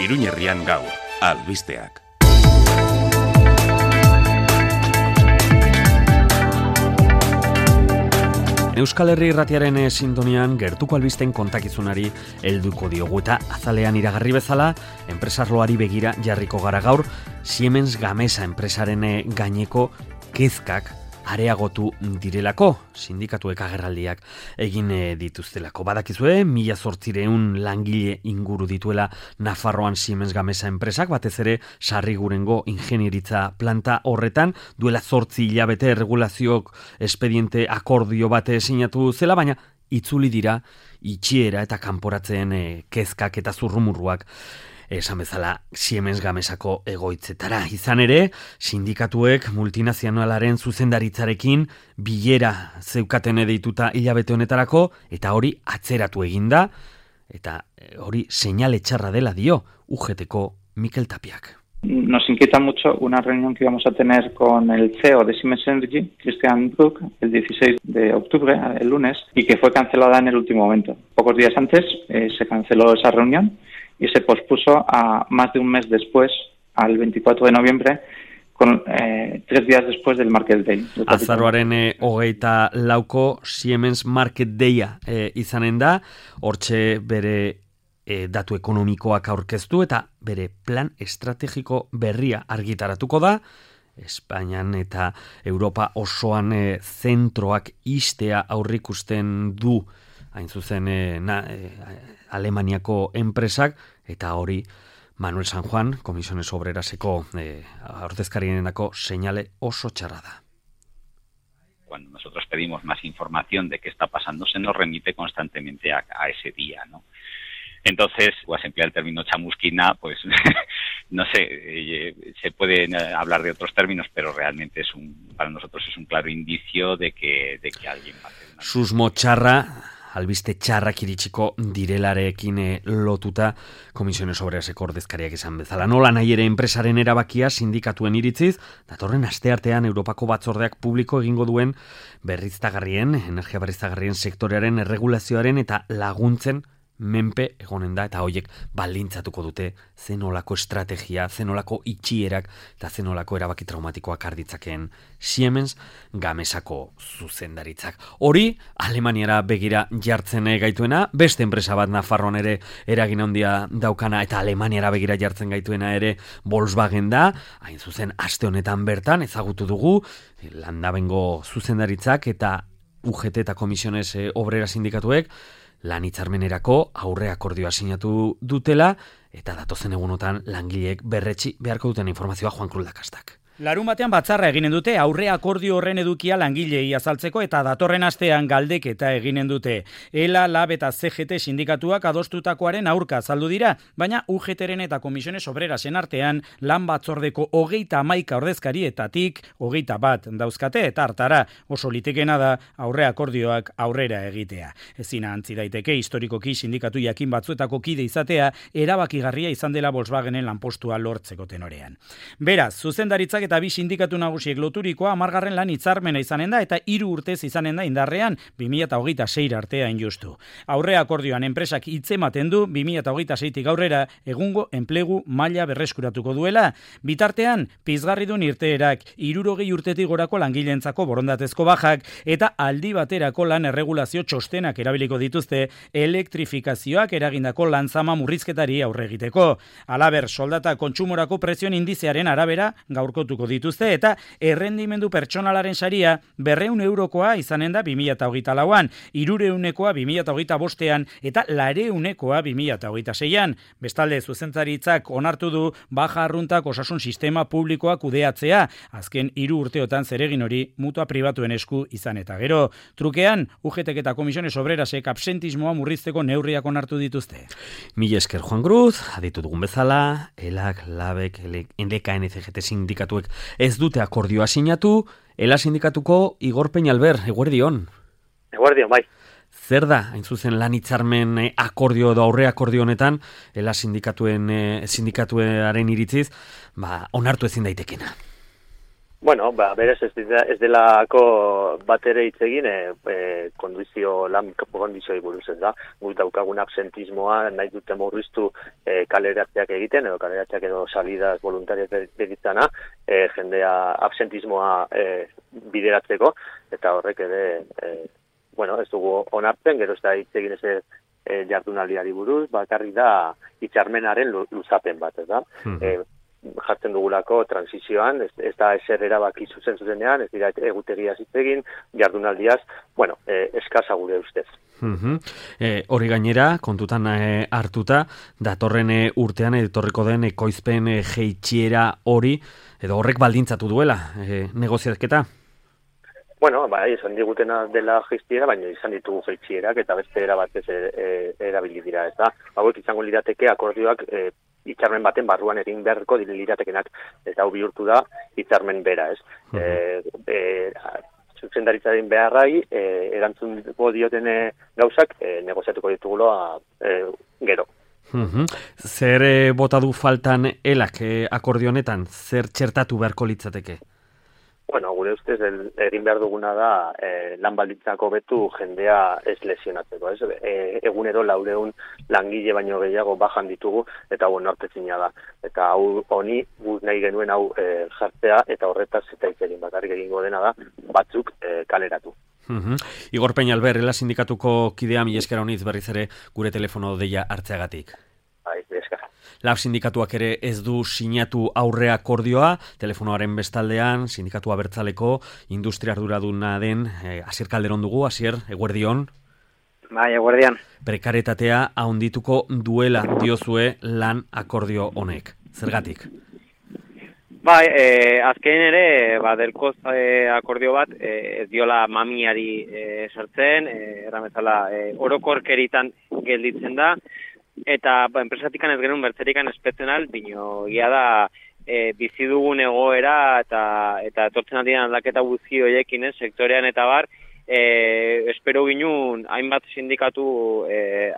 Iruñerrian gaur, albisteak. Euskal Herri Irratiaren sintonian gertuko albisten kontakizunari helduko diogu eta azalean iragarri bezala, enpresarloari begira jarriko gara gaur, Siemens Gamesa enpresaren gaineko kezkak areagotu direlako, sindikatuek agerraldiak egin dituztelako. Badakizue, 1800 langile inguru dituela Nafarroan Siemens Gamesa enpresak, batez ere Sarrigurengo ingenieritza planta horretan, duela 8 hilabete erregulazioak espediente akordio bate sinatu zela, baina itzuli dira itxiera eta kanporatzen kezkak eta zurrumurruak. Esan bezala Siemens Gamesako egoitzetara. Izan ere, sindikatuek multinazionalaren zuzendaritzarekin bilera zeukaten deituta hilabete honetarako, eta hori atzeratu eginda, eta hori seinale txarra dela dio UGTko Mikel Tapiak. Nos inquieta mucho una reunión que íbamos a tener con el CEO de Siemens Energy, Christian Bruck, el 16 de octubre, el lunes, y que fue cancelada en el último momento. Pocos días antes se canceló esa reunión y se pospuso a más de un mes después, al 24 de noviembre, con 3 días después del Market Day. Azaroaren 24ko Siemens Market Daya izanen da, hortxe bere datu ekonomikoak aurkeztu eta bere plan estrategiko berria argitaratuko da, Espainian eta Europa osoan zentroak istea aurrikusten du, hain zuzen Alemaniako enpresak, eta hori Manuel San Juan, Comisiones Obreraseko ordezkarienako seinale oso txarra da. Cuando nosotros pedimos más información de qué está pasando, se nos remite constantemente a ese día, ¿no? Entonces, pues emplear el término chamusquina, pues no sé, se pueden hablar de otros términos, pero realmente para nosotros es un claro indicio de que alguien va a hacer una... Susmo txarra, albiste txarrak iritsiko direlarekin lotuta Komisiones Obreraseko ordezkariak izan bezala. Nola nahi ere enpresaren erabakia sindikatuen iritziz, datorren asteartean Europako batzordeak publiko egingo duen energia berriztagarrien sektorearen erregulazioaren eta laguntzen menpe egonen da, eta hoiek baldintzatuko dute zenolako estrategia, zenolako itxierak eta zenolako erabaki traumatikoak arditzakeen Siemens Gamesako zuzendaritzak. Hori, Alemaniara begira jartzen gaituena, beste enpresa bat Nafarroan ere eragin handia daukana eta Alemaniara begira jartzen gaituena ere Volkswagen da, hain zuzen aste honetan bertan ezagutu dugu Landabengo zuzendaritzak eta UGT eta Komisiones Obrera sindikatuek lan hitzarmenerako aurre akordioa sinatu dutela, eta datozen egunotan langileek berretsi beharko duten informazioa Juan Cruz Lakastak. Larunbatean batzarra eginen dute aurre akordio horren edukia langilei azaltzeko eta datorren astean galdeketa eginen dute. ELA, LAB eta CGT sindikatuak adostutakoaren aurka azaldu dira, baina UGTren eta Komisiones Obrerasen artean lan batzordeko 31 ordezkarietatik 21 dauzkate eta hartara oso litekena da aurre akordioak aurrera egitea. Ezin ahantzi daiteke historikoki sindikatu jakin batzuetako kide izatea erabakigarria izan dela Volkswagenen lanpostua lortzeko tenorean. Beraz, zuzendaritzak eta bi sindikatu nagusiek loturikoa 10. lan hitzarmena izanen da eta 3 urtez izanen da indarrean 2026 artea injustu. Aurre akordioan enpresak hitzematen du 2026tik aurrera egungo enplegu maila berreskuratuko duela. Bitartean, pizgarridun irteerak 60 urtetik gorako langileentzako borondatezko bajak eta aldi baterako lan erregulazio txostenak erabiliko dituzte elektrifikazioak eragindako lanzama murrizketari aurre egiteko. Halaber, soldata kontsumorako prezioen indizearen arabera gaurkotuko dituzte eta errendimendu pertsonalaren saria 200 eurokoa izanen da 2024an, 300koa 2025an eta 400koa 2026an. Bestalde, zuzendaritzak onartu du baja arruntak osasun sistema publikoa kudeatzea, azken 3 urteotan zeregin hori mutua pribatuen esku izan eta gero. Trukean, UGTek eta Komisiones Obrerasek absentismoa murrizteko neurriak onartu dituzte. Mila esker Juan Cruz, aditu dugun bezala, ELAK, LABek, NDK, NCGT sindikatuek ez dute akordioa sinatu, ELA sindikatuko Igor Peñalver, eguerdion. Eguerdion, bai. Zer da, hain zuzen lan hitzarmen akordio edo aurre akordio honetan, ELA sindikatuaren iritziz, onartu ezin daitekena? Bueno, berez ez delako bat ere hitz egin lan kondizioi buruz, ez da. Guk daukagun absentismoa nahi dute murriztu kaleratzeak egiten, edo kaleratzeak edo salidas voluntarias begitzana, jendea absentismoa bideratzeko, eta horrek ere, ez dugu onartzen, gero ez da hitz egin jardunaldiari buruz, bakarrik da hitzarmenaren luzapen bat, ez da. Jartzen dugulako transizioan, ez da eser erabaki zuzenean, ez dira egutegia hitz egin, jardunaldiaz, eskasa gure ustez. Hori gainera, kontutan hartuta, datorren urtean etorriko den ekoizpen jeitsiera hori, edo horrek baldintzatu duela, negoziazketa? Esan digutena dela jeitsiera, baina izan ditugu jeitsierak, eta beste erabatez erabili dira, ez da. Hauek izango lirateke akordioak hitzarmen baten barruan egin beharko liratekenak, eta hau bihurtu da hitzarmen bera, ez. Zuzendaritzaren beharrai, erantzungo dioten gauzak, negoziatuko dituguloa gero. Zer bota du faltan elak akordio honetan, zer txertatu beharko litzateke? Gure ustez egin behar duguna da lan baldintzako betu jendea ez lesionatzeko, ez? Egunero 400 langile baino gehiago bajan ditugu, eta nortezina da. Eta honi guk nahi genuen hau jartzea, eta horretaz eta hitz egin bakarrik egingo dena da, batzuk kaleratu. Igor Peñalver, Ela sindikatuko kidea, mila esker honiz berriz ere gure telefono deia hartzeagatik. Lab sindikatuak ere ez du sinatu aurre akordioa, telefonoaren bestaldean, sindikatu abertzaleko industria arduraduna den Asier Calderón dugu. Asier, eguerdion? Bai, eguerdian. Prekaretatea handituko duela diozue lan akordio honek. Zergatik? Bai, azken ere, delkoz akordio bat, ez diola mamiari sartzen, erramezala orokorkeritan gelditzen da, eta enpresatikan ez genuen bertzerikan espezional, bino gia da bizi dugun egoera eta etortzen aldian aldaketa guzti horiekin, sektorean eta bar, espero ginun hainbat sindikatu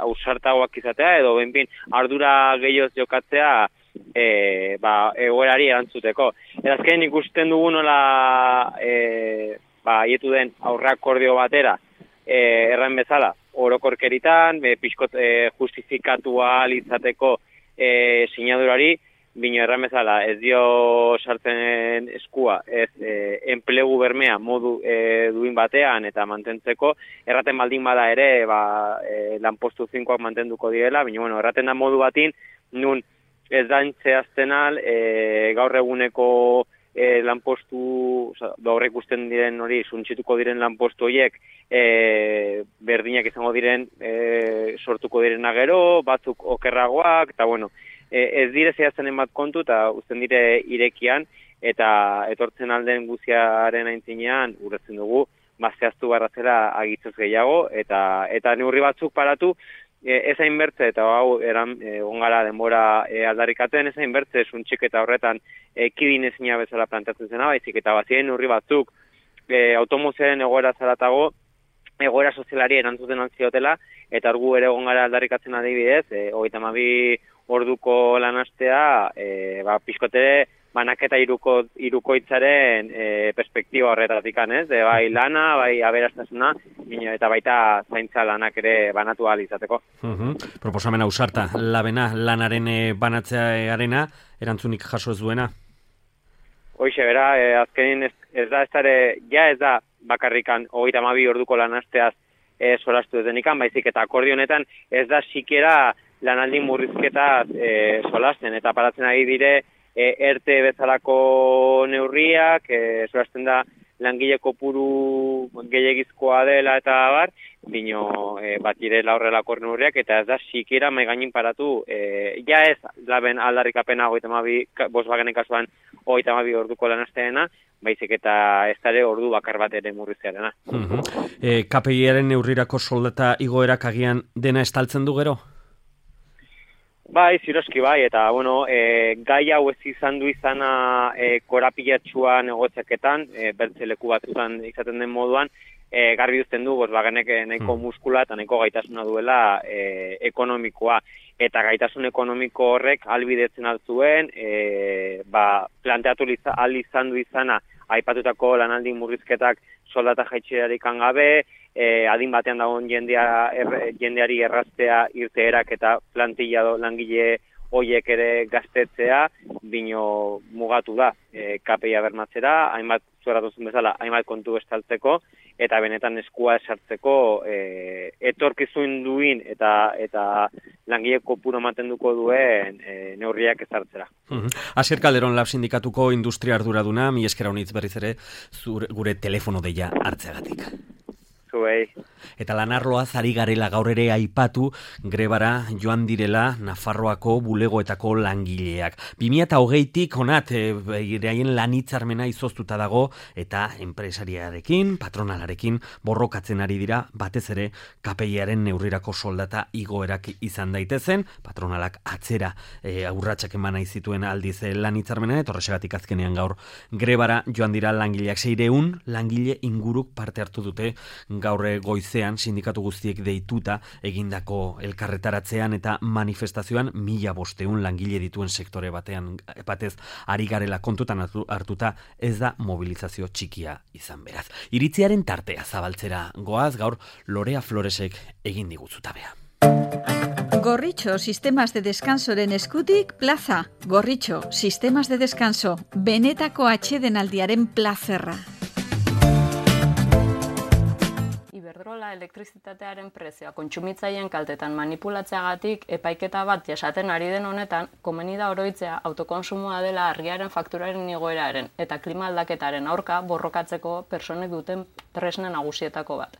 ausartagoak izatea, edo benpin ardura gehioz jokatzea egoerari erantzuteko. Azken ikusten dugu nola haietu den aurre akordio batera, erran bezala, orokorkeritan, pixkot justifikatua izateko sinadurari, bino erran bezala, ez dio sartzen eskua, ez enplegu bermea modu duin batean eta mantentzeko, erraten baldin bada ere, lanpostu 5ak mantenduko direla, bino erraten da modu batin, nun ez da zehaztenal, gaur eguneko lanpostu, gaur ikusten diren hori, suntsituko diren lanpostu horiek, berdinak izango diren, sortuko direna gero, batzuk okerragoak, eta ez dire zehaztenen bat kontu, eta uzten dire irekian, eta etortzen alden guziaren aintzinean, urretzen dugu, zehaztu barrazela agitzez gehiago, eta neurri batzuk paratu, ez hainbertze, eta hau ongara denbora aldarrikaten, ez hainbertze suntxik eta horretan kidin ezina bezala plantatzen zena, baizik eta bazien neurri batzuk automozioaren egoera zaratago, egoera sozialari erantzuten altziotela, eta argu ere ongara aldarrikatzen adibidez, 32 orduko lanastea, pixkotere banaketa hirukoitzaren perspektiba horretatik, ez? Bai lana, bai aberastasuna, eta baita zaintza lanak ere banatu ahal izateko. Proposamen ausarta, labena, lanaren banatzearena, erantzunik jaso ez duena? Hoixe, bera, azkenin ez da bakarrikan 32 orduko lanasteaz solastu ez denikan, baizik eta akordio honetan ez da sikera lanaldi murrizketaz solasten, eta paratzen ari dire ERTE bezalako neurriak, solasten da langile kopuru gehiagizkoa dela eta bar, bino bat direla horrelako neurriak, eta ez da sikera maigainin paratu, ja ez laben aldarrikapena Volkswagenen kasuan 32 orduko lanasteena, baizik eta ez dara ordu bakar bat ere murriztearena. KPI-aren neurrirako soldata igoerak agian dena estaltzen du gero? Bai, ziroski bai, eta gai hau ez izan du izana korapilatxua negoziaketan, bertze leku batzutan izaten den moduan, garbi duzten du, Volkswagenek nahiko muskula eta nahiko gaitasuna duela ekonomikoa. Eta gaitasun ekonomiko horrek albidetzen altzuen, planteatu izan du izana aipatutako lanaldi murrizketak soldata jaitserarik gabe, adin batean dagoen jendeari erraztea irteerak eta plantilla langile hoiek ere gaztetzea, bino mugatu da KPIa bermatzera, hainbat zueratuzun bezala, hainbat kontu estaltzeko, eta benetan eskua esartzeko etorkizun duin eta langile kopuru mantenduko duen neurriak ezartzera. Asier Calderón Lab sindikatuko industria arduraduna, mi esker honitz berriz ere gure telefono deia hartzeagatik. Zuei. Eta lanarloaz ari garela gaur ere aipatu grebara joan direla Nafarroako bulegoetako langileak. 2020tik honat beraien lanitzarmena izoztuta dago eta enpresariarekin, patronalarekin borrokatzen ari dira batez ere KPIaren neurrirako soldata igoerak izan daitezen, patronalak atzera aurratsak eman nahi zituen aldiz lanitzarmena eta horrexegatik azkenean gaur grebara joan dira langileak 600 langile inguruk parte hartu dute gaur goizean sindikatu guztiek deituta egindako elkarretaratzean eta manifestazioan 1500 langile dituen sektore batez ari garela kontutan hartuta ez da mobilizazio txikia izan beraz. Iritziaren tartea zabaltzera goaz gaur Lorea Floresek egin diguzutabea. Gorritxo Sistemas de Descansoren eskutik plaza. Gorritxo Sistemas de Descanso, benetako atsedenaldiaren plazerra. Iberdrola elektrizitatearen prezioa kontsumitzaileen kaltetan manipulatzeagatik epaiketa bat jasaten ari den honetan, komeni da oroitzea autokonsumoa dela argiaren fakturaren igoeraren eta klima aldaketaren aurka borrokatzeko personek duten tresna nagusietako bat.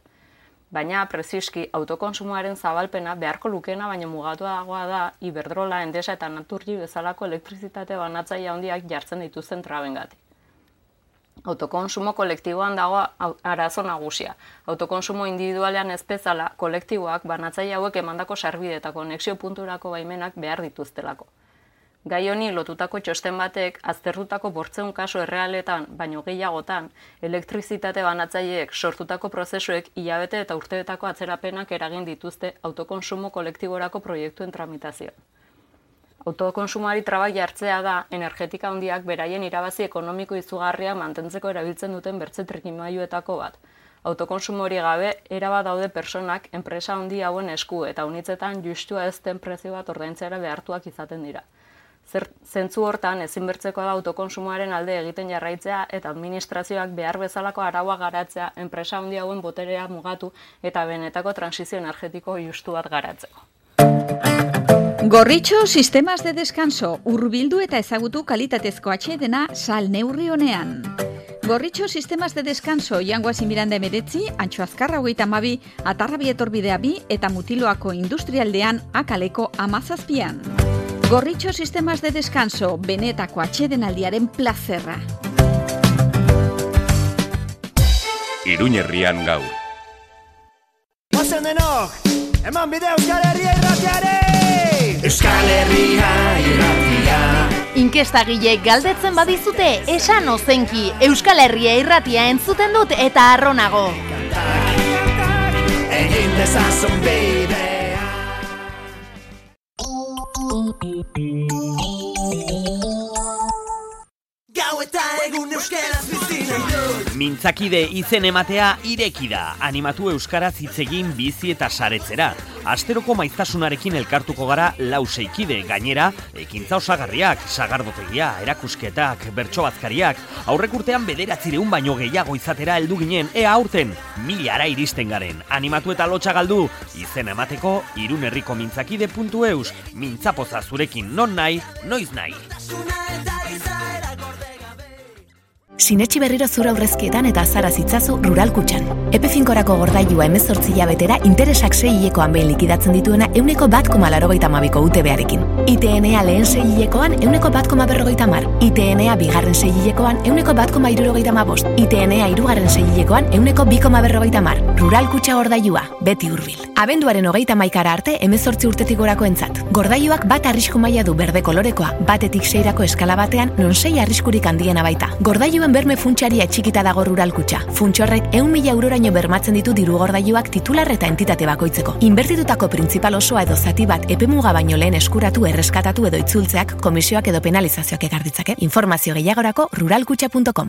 Baina, preziski, autokonsumoaren zabalpena beharko lukeena baina mugatuagoa da Iberdrola, Endesa eta Naturgy bezalako elektrizitate banatzaile handiak jartzen dituzten trabengatik. Autokonsumo kolektiboan dago arazo nagusia. Autokonsumo individualean ez bezala, kolektiboak banatzaile hauek emandako sarbide eta konexio punturako baimenak behar dituztelako. Gai honi lotutako txosten batek, aztertutako 800 kasu errealetan, baino gehiagotan, elektrizitate banatzaileek sortutako prozesuek hilabete eta urteetako atzerapenak eragin dituzte autokonsumo kolektiborako proiektuen tramitazioa. Autokonsumoari trabak jartzea da, energetika handiak beraien irabazi ekonomiko izugarria mantentzeko erabiltzen duten bertze trikimailuetako bat. Autokonsumo hori gabe, erabat daude personak enpresa handi hauen esku eta unitzetan justua ez den prezio bat ordaintzera behartuak izaten dira. Zentzu hortan ezinbertzeko da autokonsumoaren alde egiten jarraitzea eta administrazioak behar bezalako araua garatzea enpresa handi hauen boterea mugatu eta benetako transizio energetiko justu bat garatzeko. Gorritxo Sistemas de Descanso, hurbildu eta ezagutu kalitatezko atsedena sal neurri honean. Gorritxo Sistemas de Descanso, Jangoazi Miranda 19, Antxo Azkarra 32, Atarrabi Etorbidea 2 eta Mutiloako Industrialdean Akaleko 17. Gorritxo Sistemas de Descanso, benetako atsedenaldiaren plazerra. Iruñerrian gaur. Ozen denok, eman bide Euskal Herria irratiare! Euskal Herria irratia. Inkestagile galdetzen badizute, esan ozenki, Euskal Herria irratia entzuten dut eta arronago. Egin dezazun bidea. Gau eta egun euskaraz bizina dut. Mintzakide izen ematea ireki da. Animatu euskaraz hitz egin bizi eta saretzera. Asteroko maiztasunarekin elkartuko gara 4 kide, gainera, ekintza osagarriak, sagardotegia, erakusketak, bertsobazkariak, aurrek urtean 900 baino gehiago izatera heldu ginen, ea aurten 1000 iristen garen. Animatu eta lotxa galdu, izen emateko irunerriko mintzakide.eus, mintzapoza zurekin non nahi, noiz nahi. Sinetxi berriro zura aurrezkietan eta azara zitzazu Rural Kutxan. Epe finkorako gordailua 18 hilabetera interesak 6 hilekoan behin likidatzen dituena 1,82ko UTB-arekin. ITNA lehen 6 hilekoan 1,150. ITNA bigarren 6 hilekoan 1,175. ITNA hirugarren 6 hilekoan 1,250. Rural Kutxa gordailua, beti hurbil. Abenduaren 31 arte 18 urtetik gorako entzat. Gordailuak bat arrisku maila du berde kolorekoa, batetik 6rako eskala batean non 6 arriskurik handiena baita. Gordailuen berme funtsaria txikita dago Rural Kutxa. Funtsorrek 100.000 euroraino bermatzen ditu diru gordailuak titular eta entitate bakoitzeko. Inbertitutako printzipal osoa edo zati bat epemuga baino lehen eskuratu, erreskatatu edo itzultzeak komisioak edo penalizazioak ekar ditzake. Informazio gehiagorako ruralkutxa.com.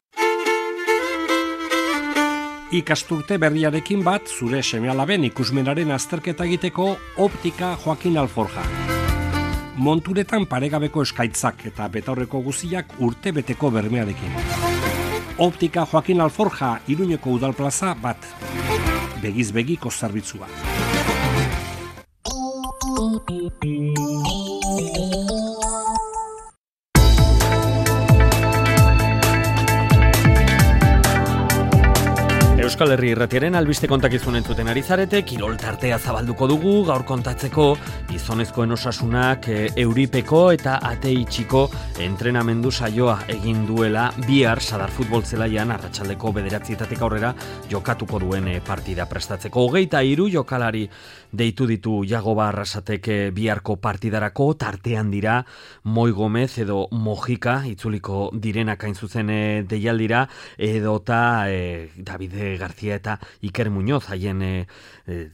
Ikasturte berriarekin bat zure seme-alaben ikusmenaren azterketa egiteko Optika Joaquin Alforja. Monturetan paregabeko eskaitzak eta betaurreko guziak urtebeteko bermearekin. Optika Joaquin Alforja, Iruñeko udalplaza bat. Begiz begiko zerbitzua. Euskal Herri Irratiaren albiste kontakizun entzuten ari zarete, kirol tartea zabalduko dugu, gaur kontatzeko gizonezkoen osasunak Euripeko eta Ateitxiko entrenamendu saioa egin duela bihar Sadar futbol zelaian arratsaldeko 9:00 aurrera jokatuko duen partida prestatzeko. 23 jokalari deitu ditu Jagoba Arrasatek biharko partidarako, tartean dira Moi Gomez edo Mojika itzuliko direnak hain zuzen deialdira, edota David García eta Iker Muñoz haien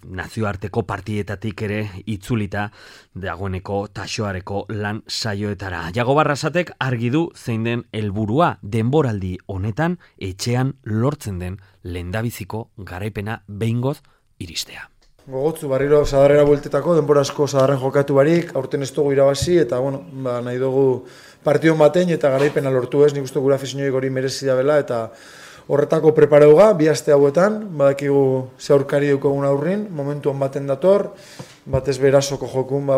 nazioarteko partietatik ere itzulita dagoeneko taxoareko lan saioetara. Jagoba Arrasatek argi du zein den helburua denboraldi honetan etxean lortzen den lehendabiziko garaipena behingoz iristea. Gogotzu barriro Sadarrera bueltetako, denbora asko Sadarren jokatu barik, aurten ez dugu irabazi eta nahi dugu partion batein eta garaipena lortu ez, nik uste gura afizioik hori merezi da bela eta horretako prepareuga, bi aste hauetan, badakigu ze aurkari dukogun aurrin, momentuan baten dator, batez berasoko jokun,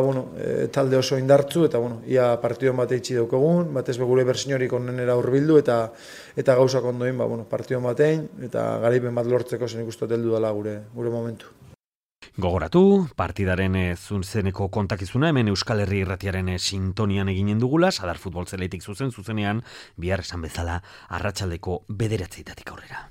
talde oso indartzu, eta ia partion bat eitzi daukogun, batez gure bersiniorik onenera hurbildu, eta gauzak ondoin, partion batein, eta garaipen bat lortzeko zen ikustu teldu dela gure momentu. Gogoratu, partidaren zuzeneko kontakizuna hemen Euskal Herri Irratiaren sintonian eginen dugula, Sadar futbol zelaitik zuzenean, bihar esan bezala arratsaldeko 9:00 aurrera.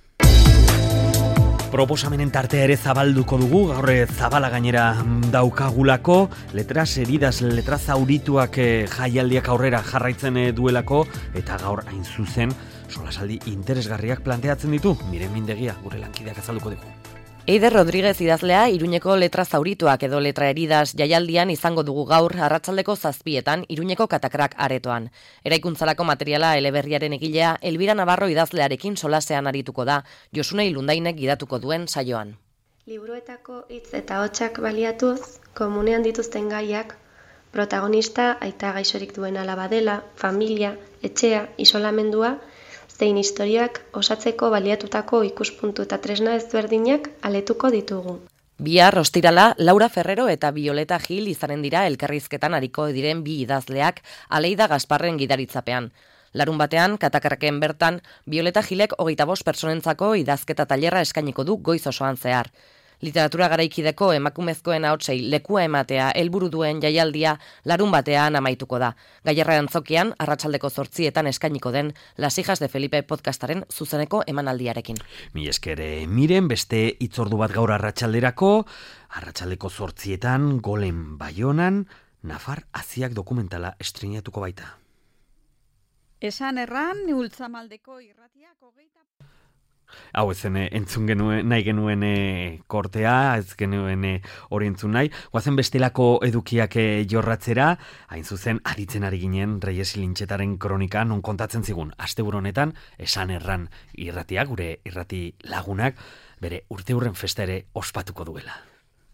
Proposamenen tartea ere zabalduko dugu, gaur zabala gainera daukagulako, letras heridas, letras zaurituak jaialdiak aurrera jarraitzen duelako, eta gaur hain zuzen solasaldi interesgarriak planteatzen ditu, Miren Mindegia, gure lankideak azalduko dugu. Eider Rodríguez idazlea Iruñeko letra zaurituak edo letra heridas jaialdian izango dugu gaur arratsaldeko 7:00 Iruñeko Katakrak aretoan. Eraikuntzalako materiala eleberriaren egilea Elbira Navarro idazlearekin solasean arituko da, Josune Ilundainek gidatuko duen saioan. Liburuetako hitz eta hotsak baliatuz, komunean dituzten gaiak, protagonista aita gaixorik duen alaba dela, familia, etxea, isolamendua, zein historiak osatzeko baliatutako ikuspuntu eta tresna ezberdinak aletuko ditugu. Bihar ostirala, Laura Ferrero eta Violeta Gil izanen dira elkarrizketan ariko diren bi idazleak Aleida Gasparren gidaritzapean. Larun batean, Katakarraken bertan, Violeta Gilek 25 pertsonentzako idazketa tailerra eskainiko du goiz osoan zehar. Literatura garaikideko emakumezkoen ahotsei lekua ematea helburu duen jaialdia larun batean amaituko da. Gaillarra antzokian, arratsaldeko 8:00 eskainiko den Las hijas de Felipe podcastaren zuzeneko emanaldiarekin. Mi eskere Miren, beste hitzordu bat gaur arratsalderako, arratsaldeko 8:00 Golen Baionan, Nafar Aziak dokumentala estreinatuko baita. Esan erran, Ultzamaldeko irratiak 20... Hau ezen entzun genuen, nahi genuen kortea, ez genuen hori entzun nahi. Goazen bestelako edukiak jorratzera, hain zuzen aritzen ari ginen Reyes Lintxetaren kronika, non kontatzen zigun, asteburu honetan, esan erran irratia, gure irrati lagunak, bere urteurren festa ere ospatuko duela.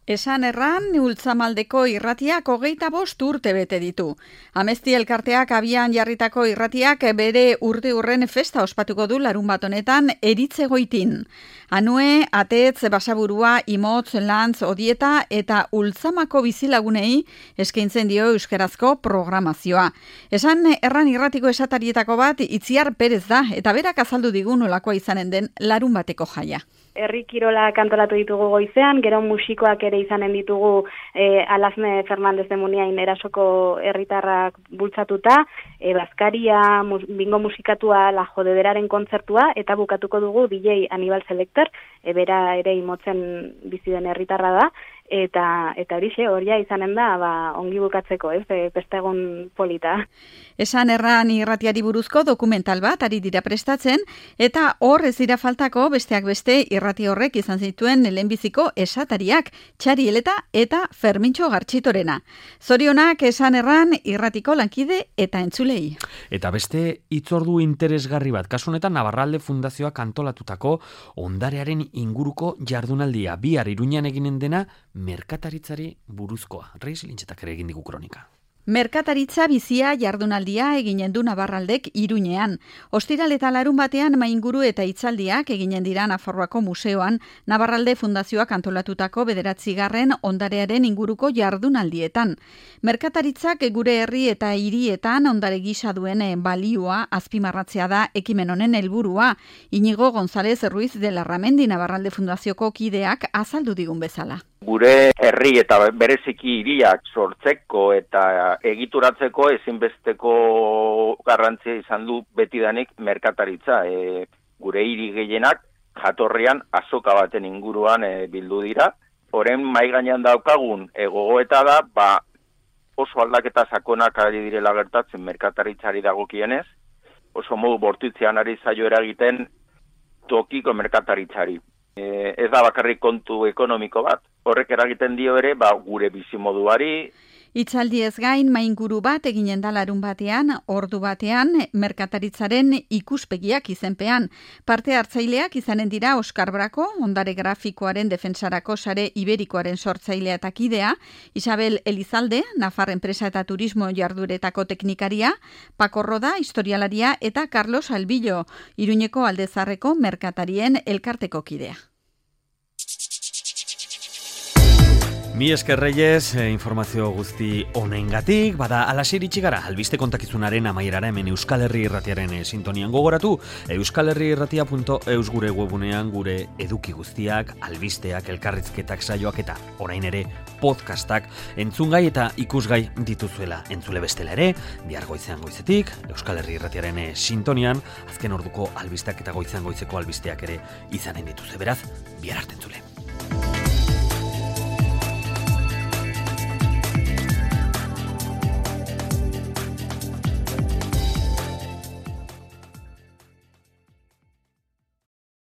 Esan erran, Ultzamaldeko irratiak 25 urte bete ditu. Amezti elkarteak abian jarritako irratiak bere urteurren festa ospatuko du larun bat honetan Eritzegoitin. Anue, Atetz, Basaburua, Imotz, Lantz, Odieta eta Ultzamako bizilagunei eskaintzen dio euskarazko programazioa. Esan erran irratiko esatarietako bat Itziar Perez da eta berak azaldu digun nolakoa izanen den larun bateko jaia. Herri kirola kantolatu ditugu goizean, gero musikoak ere izanen ditugu Alazne Fernandez de Muniain erasoko herritarrak bultzatuta, Bazkaria, bingo musikatua, La Jodederaren kontzertua, eta bukatuko dugu DJ Anibal Selector, bera ere Imotzen bizi den herritarra da, eta horixe izanen da, ongi bukatzeko, festegun polita. Esan erran irratiari buruzko dokumental bat ari dira prestatzen, eta hor ez dira faltako besteak beste irrati horrek izan zituen lehenbiziko esatariak, Txari Eleta eta Fermintxo Gartxitorena. Zorionak esan erran irratiko lankide eta entzulei. Eta beste hitzordu interesgarri bat, kasu honetan Navarralde Fundazioak antolatutako ondarearen inguruko jardunaldia, bihar Iruñan eginen dena merkataritzari buruzkoa. Reis Lintxetak ere egin digu kronika. Merkataritza bizia jardunaldia eginen du Navarraldek Iruñean. Ostiral eta larun batean mainguru eta hitzaldiak eginen dira Nafarroako museoan, Navarralde Fundazioak antolatutako 9. ondarearen inguruko jardunaldietan. Merkataritzak gure herri eta hirietan ondare gisa duen balioa azpimarratzea da ekimen honen helburua. Iñigo González Ruiz de Larramendi Navarralde Fundazioko kideak azaldu digun bezala. Gure herri eta bereziki hiriak sortzeko eta egituratzeko ezinbesteko garrantzia izan du betidanik merkataritza. Gure hiri gehienak jatorrian azoka baten inguruan bildu dira. Orain mahai gainean daukagun gogoeta da, oso aldaketa sakonak ari direla gertatzen merkataritzari dagokienez, oso modu bortitzean ari zaio eragiten tokiko merkataritzari. Ez da bakarrik kontu ekonomiko bat. Horrek eragiten dio ere, gure bizimoduari. Hitzaldiez gain, mainguru bat eginen da larun batean, ordu batean, merkataritzaren ikuspegiak izenpean. Parte hartzaileak izanen dira Oskar Brako, ondare grafikoaren defensarako sare iberikoaren sortzailea eta kidea, Isabel Elizalde, Nafar Enpresa eta Turismo jarduretako teknikaria, Paco Roda, historialaria eta Carlos Albillo, Iruñeko Aldezarreko merkatarien elkarteko kidea. Mi esker Reyes, informazio guzti honengatik, bada alasir itxi gara, albiste kontakizunaren amaierara hemen Euskal Herri Irratiaren sintonian gogoratu, euskalherriirratia.eus gure webunean gure eduki guztiak, albisteak, elkarrizketak, saioak eta orain ere podcastak entzungai eta ikusgai dituzuela. Entzule bestela ere, bihar goizean goizetik, Euskal Herri Irratiaren sintonian, azken orduko albisteak eta goizean goizeko albisteak ere izanen dituze. Beraz, bihar arte entzule.